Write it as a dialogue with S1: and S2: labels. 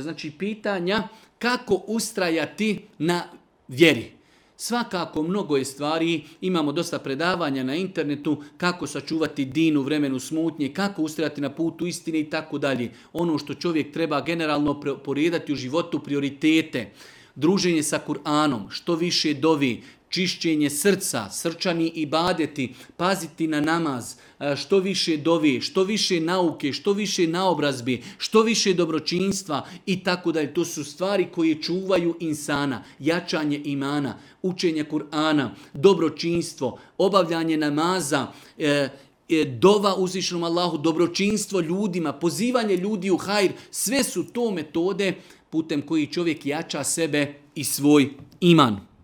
S1: znači pitanja kako ustrajati na vjeri. Svakako mnogo je stvari, imamo dosta predavanja na internetu kako sačuvati din u vremenu smutnje, kako ustrajati na putu istine i tako dalje. Ono što čovjek treba generalno porijedati u životu, prioritete, druženje sa Kur'anom, što više dovi, čišćenje srca, srčani ibadeti, paziti na namaz, što više dovi, što više nauke, što više naobrazbi, što više dobročinstva i tako dalje. To su stvari koje čuvaju insana, jačanje imana, učenje Kur'ana, dobročinstvo, obavljanje namaza, dova uzvišenom Allahu, dobročinstvo ljudima, pozivanje ljudi u hajr. Sve su to metode putem koji čovjek jača sebe i svoj iman.